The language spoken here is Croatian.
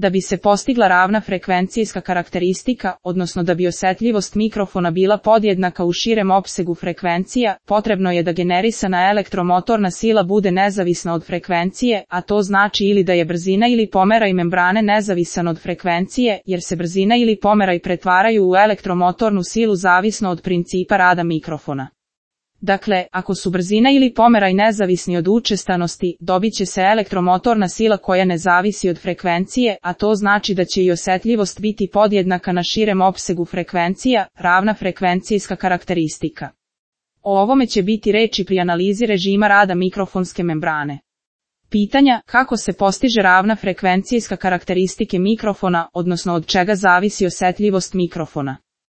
Da bi se postigla ravna frekvencijska karakteristika, odnosno da bi osetljivost mikrofona bila podjednaka u širem opsegu frekvencija, potrebno je da generisana elektromotorna sila bude nezavisna od frekvencije, a to znači ili da je brzina ili pomeraj membrane nezavisan od frekvencije, jer se brzina ili pomeraj pretvaraju u elektromotornu silu zavisno od principa rada mikrofona. Dakle, ako su brzina ili pomeraj nezavisni od učestanosti, dobit će se elektromotorna sila koja ne zavisi od frekvencije, a to znači da će i osetljivost biti podjednaka na širem opsegu frekvencija, ravna frekvencijska karakteristika. O ovome će biti reči pri analizi režima rada mikrofonske membrane. Pitanja: kako se postiže ravna frekvencijska karakteristike mikrofona, odnosno od čega zavisi osetljivost mikrofona?